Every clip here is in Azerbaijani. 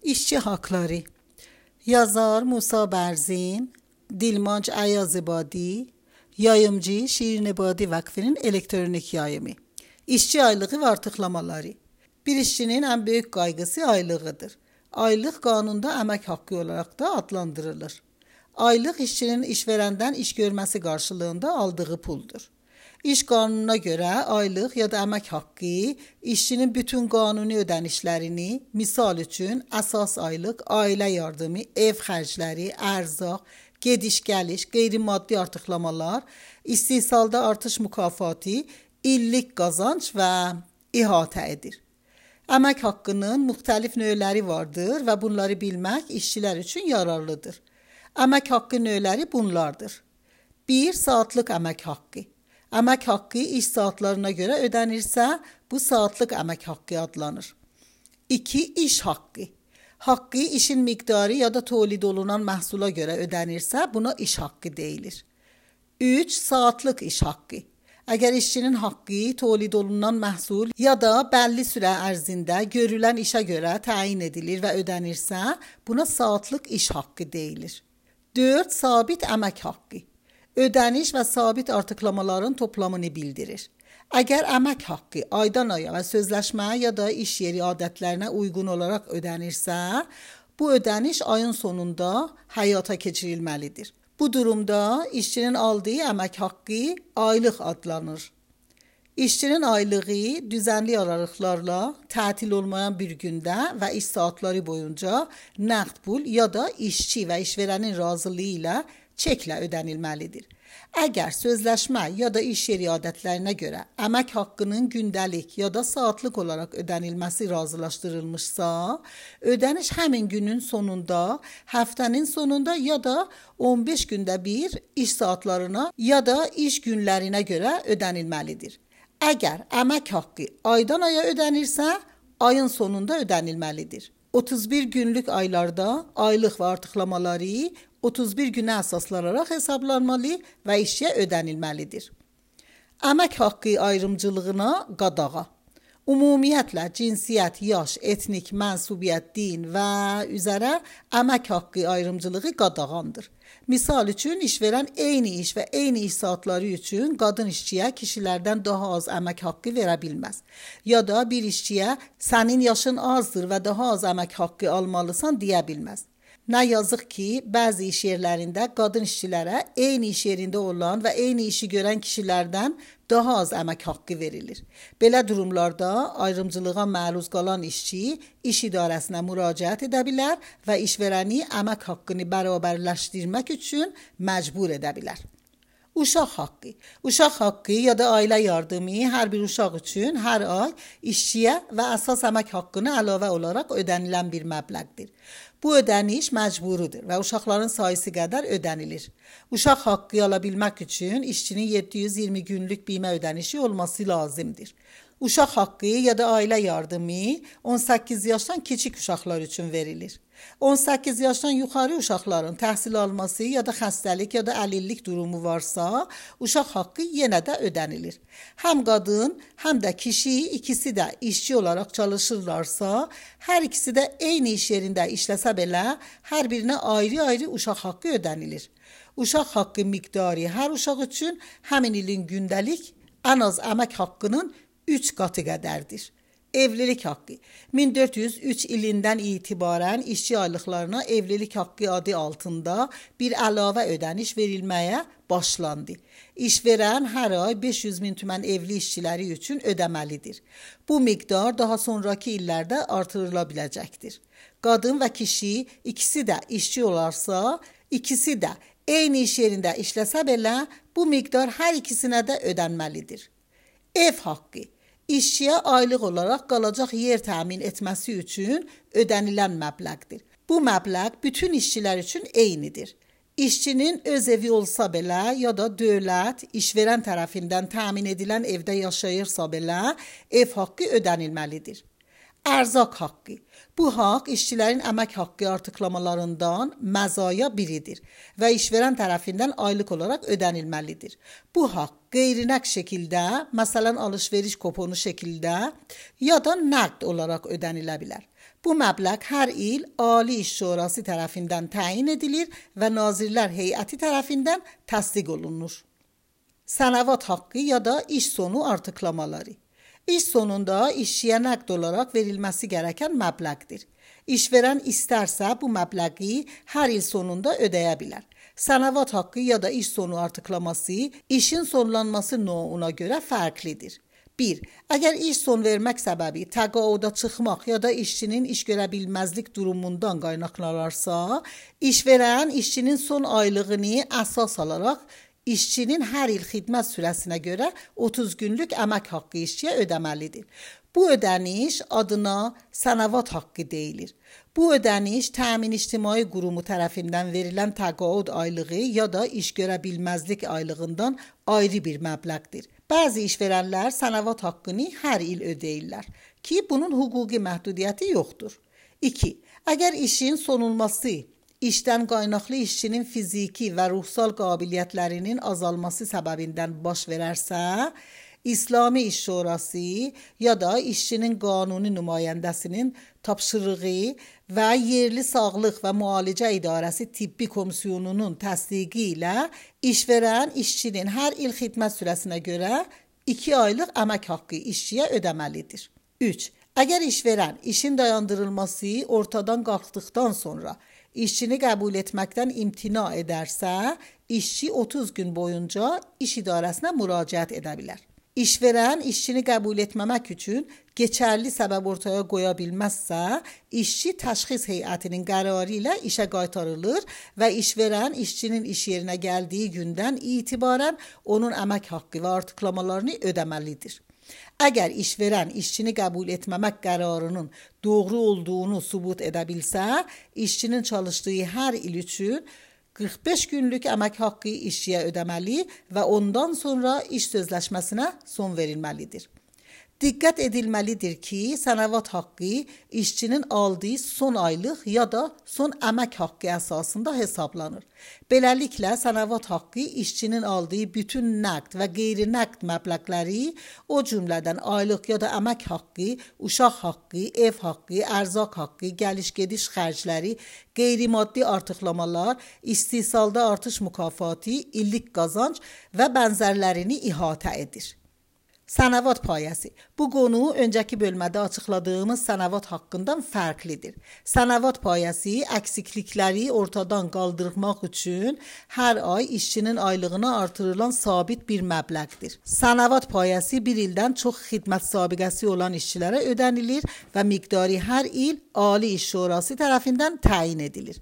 İşçi Hakları. Yazar Musa Berzin, Dilmanc Ayazibadi, yayımcı Şirin Ebadi Vakfı'nın elektronik yayımı. İşçi aylığı ve artıklamaları. Bir işçinin en büyük kaygısı aylığıdır. Aylık kanunda emek hakkı olarak da adlandırılır. Aylık işçinin işverenden iş görmesi karşılığında aldığı puldur. İş kanununa göre aylık ya da emek hakkı işçinin bütün kanuni ödenişlerini, misal üçün əsas aylıq, ailə yardımı, ev xərcləri, ərzaq, gediş-gəliş, qeyri-maddi artıqlamalar, istehsalda artış mükafatı, illik qazanc və ihatə edir. Əmək haqqının müxtəlif növləri vardır və bunları bilmək işçilər üçün yararlıdır. Əmək haqqı növləri bunlardır. 1. Saatlıq əmək haqqı. Əmək haqqı iş saatlarına görə ödənirsə, bu saatlıq əmək haqqı adlanır. 2. İş haqqı. Haqqı işin miqdarı ya da tolid olunan məhsula görə ödənirsə, buna iş haqqı deyilir. 3. Saatlıq iş haqqı. Əgər işçinin haqqı tolid olunan məhsul ya da bəlli sürə ərzində görülən işə görə təyin edilir və ödənirsə, buna saatlıq iş haqqı deyilir. 4. Sabit əmək haqqı. Ödəniş və sabit artıqlamaların toplamını bildirir. Əgər əmək haqqı aydan aya və sözləşməyə ya da iş yeri adətlərinə uyğun olaraq ödənirsə, bu ödəniş ayın sonunda həyata keçirilməlidir. Bu durumda işçinin aldığı əmək haqqı aylıq adlanır. İşçinin aylığı düzənli aralıqlarla tətil olmayan bir gündə və iş saatları boyunca nəqd pul ya da işçi və işverənin razılığı ilə çeklə ödənilməlidir. Əgər sözləşmə ya da iş yeri adətlərinə görə əmək haqqının gündəlik ya da saatlıq olaraq ödənilməsi razılaşdırılmışsa, ödəniş həmin günün sonunda, həftənin sonunda ya da 15 gündə bir iş saatlarına ya da iş günlərinə görə ödənilməlidir. Əgər əmək haqqı aydan aya ödənirsə, ayın sonunda ödənilməlidir. 31 günlük aylarda aylıq və artıqlamaları 31 günə əsaslanaraq hesablanmalı və işçiyə ödənilməlidir. Əmək haqqı ayrımcılığına qadağa. Ümumiyyətlə cinsiyyət, yaş, etnik, mənsubiyyət, din və üzərə əmək haqqı ayrımcılığı qadağandır. Misal üçün işverən eyni iş və eyni iş saatları üçün qadın işçiyə kişilərdən daha az əmək haqqı verə bilməz. Ya da bir işçiyə sənin yaşın azdır və daha az əmək haqqı almalısan deyə bilməz. Nə yazıq ki, bəzi iş yerlərində qadın işçilərə eyni iş yerində olan və eyni işi görən kişilərdən daha az əmək haqqı verilir. Belə durumlarda ayrımcılığa məruz qalan işçi iş idarəsinə müraciət edə bilər və işverəni əmək haqqını bərabərləşdirmək üçün məcbur edə bilər. Uşaq haqqı. Uşaq haqqı ya da ailə yardımı hər bir uşaq üçün hər ay işçiyə və əsas əmək haqqına əlavə olaraq ödənilən bir məbləğdir. Bu ödəniş məcburudur və uşaqların sayısı qədər ödənilir. Uşaq haqqı ala bilmək üçün işçinin 720 günlük bimə ödənişi olması lazımdır. Uşaq haqqı ya da ailə yardımı 18 yaşdan kiçik uşaqlar üçün verilir. 18 yaşdan yuxarı uşaqların təhsil alması ya da xəstəlik ya da əlillik durumu varsa, uşaq haqqı yenə də ödənilir. Həm qadın, həm də kişi ikisi də işçi olaraq çalışırlarsa, hər ikisi də eyni iş yerində işləsə belə, hər birinə ayrı-ayrı uşaq haqqı ödənilir. Uşaq haqqı miqdarı hər uşaq üçün həmin ilin gündəlik ən az əmək haqqının 3 qatı qədərdir. Evlilik haqqı. 1403 ilindən itibarən işçi aylıqlarına evlilik haqqı adı altında bir əlavə ödəniş verilməyə başlandı. İşverən hər ay 500 min tümən evli işçiləri üçün ödəməlidir. Bu miqdar daha sonraki illərdə artırıla biləcəkdir. Qadın və kişi ikisi də işçi olarsa, ikisi də eyni iş yerində işləsə belə, bu miqdar hər ikisinə də ödənməlidir. Ev haqqı. İşçiyə aylıq olaraq qalacaq yer təmin etməsi üçün ödənilən məbləğdir. Bu məbləğ bütün işçilər üçün eynidir. İşçinin öz evi olsa belə ya da dövlət, işverən tərəfindən təmin edilən evdə yaşayırsa belə ev haqqı ödənilməlidir. Ərzaq haqqı. Bu haqq işçilərin əmək haqqı artıqlamalarından məzaya biridir və işverən tərəfindən aylıq olaraq ödənilməlidir. Bu haqq qeyri-nəqd şəkildə, məsələn alış-veriş kuponu şəkildə ya da nəqd olaraq ödənilə bilər. Bu məbləğ hər il Ali İş Şurası tərəfindən təyin edilir və Nazirlər Heyəti tərəfindən təsdiq olunur. Sənəvat haqqı ya da iş sonu artıqlamaları. İş sonunda işçiyə nəqd olaraq verilməsi gərəkən məbləğdir. İşverən istərsə bu məbləği hər il sonunda ödəyə bilər. Sənəvat haqqı ya da iş sonu artıqlaması işin sonlanması növünə görə fərqlidir. 1. Əgər iş son vermək səbəbi təqaüdə çıxmaq ya da işçinin iş görə bilməzlik durumundan qaynaqlanarsa, işverən işçinin son aylığını əsas alaraq işçinin hər il xidmət sürəsinə görə 30 günlük əmək haqqı işçiyə ödəməlidir. Bu ödəniş adına sənəvat haqqı deyilir. Bu ödəniş təmin ictimai qurumu tərəfindən verilən təqaüd aylığı ya da iş görə bilməzlik aylığından ayrı bir məbləğdir. Bəzi işverənlər sənəvat haqqını hər il ödəyirlər ki, bunun hüquqi məhdudiyyəti yoxdur. 2. Əgər işin sonulması işdən qaynaqlı işçinin fiziki və ruhsal qabiliyyətlərinin azalması səbəbindən baş verərsə, İslami İş Şurası ya da işçinin qanuni nümayəndəsinin tapşırığı və yerli sağlıq və müalicə idarəsi tibbi komissiyonunun təsdiqi ilə işverən işçinin hər il xidmət sürəsinə görə 2 aylıq əmək haqqı işçiyə ödəməlidir. 3. Əgər işverən işin dayandırılması ortadan qalxdıqdan sonra işçini qəbul etməkdən imtina edərsə, işçi 30 gün boyunca iş idarəsinə müraciət edə bilər. İşverən işçini qəbul etməmək üçün keçərli səbəb ortaya qoya bilməzsə, işçi təşxis heyətinin qərarı ilə işə qaytarılır və işverən işçinin iş yerinə gəldiyi gündən etibarən onun əmək haqqı və artıqlamalarını ödəməlidir. Əgər işverən işçini qəbul etməmək qərarının doğru olduğunu sübut edə bilsə, işçinin çalışdığı hər il üçün 45 günlük əmək haqqı işçiyə ödəməli və ondan sonra iş sözləşməsinə son verilməlidir. Diqqət edilməlidir ki, sənəvat haqqı işçinin aldığı son aylıq ya da son əmək haqqı əsasında hesablanır. Beləliklə, sənəvat haqqı işçinin aldığı bütün nəqd və qeyri-nəqd məbləğləri, o cümlədən aylıq ya da əmək haqqı, uşaq haqqı, ev haqqı, ərzaq haqqı, gəliş-gediş xərcləri, qeyri-maddi artıqlamalar, istehsalda artış mükafatı, illik qazanc və bənzərlərini ihatə edir. Sənəvat payəsi. Bu qonu öncəki bölmədə açıqladığımız sənəvat haqqından fərqlidir. Sənəvat payəsi əksiklikləri ortadan qaldırmaq üçün hər ay işçinin aylığına artırılan sabit bir məbləğdir. Sənəvat payəsi bir ildən çox xidmət sabiqəsi olan işçilərə ödənilir və miqdarı hər il Ali İş Şurası tərəfindən təyin edilir.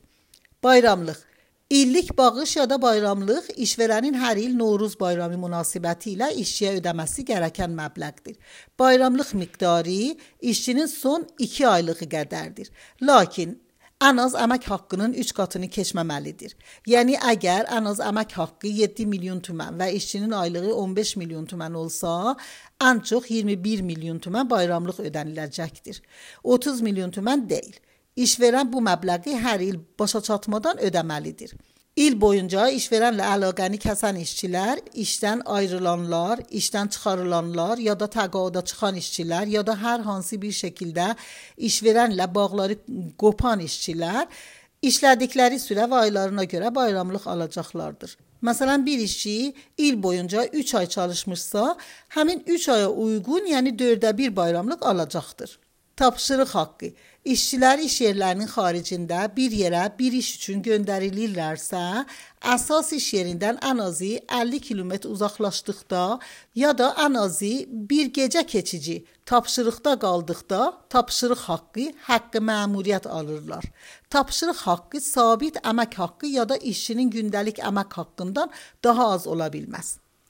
Bayramlıq. İllik bağış ya da bayramlıq işverənin hər il Novruz bayramı münasibəti ilə işçiyə ödəməsi gərəkən məbləğdir. Bayramlıq miqdarı işçinin son 2 aylığı qədərdir. Lakin ən az əmək haqqının 3 qatını keçməməlidir. Yəni əgər ən az əmək haqqı 7 milyon tümən və işçinin aylığı 15 milyon tümən olsa, ən çox 21 milyon tümən bayramlıq ödəniləcəkdir. 30 milyon tümən deyil. İşverən bu məbləği hər il başa çatmadan ödəməlidir. İl boyunca işverənlə əlaqəni kəsən işçilər, işdən ayrılanlar, işdən çıxarılanlar ya da təqaüdə çıxan işçilər ya da hər hansı bir şəkildə işverənlə bağları qopan işçilər işlədikləri sürə və aylarına görə bayramlıq alacaqlardır. Məsələn, bir işçi il boyunca 3 ay çalışmışsa, həmin 3 aya uyğun, yəni 4də 1 bayramlıq alacaqdır. Tapşırıq haqqı. İşçilər iş yerlərinin xaricində bir yerə bir iş üçün göndərilirlərsə, əsas iş yerindən ən azı 50 kilometr uzaqlaşdıqda ya da ən azı bir gecə keçici tapşırıqda qaldıqda tapşırıq haqqı məmuriyyət alırlar. Tapşırıq haqqı sabit əmək haqqı ya da işçinin gündəlik əmək haqqından daha az ola bilməz.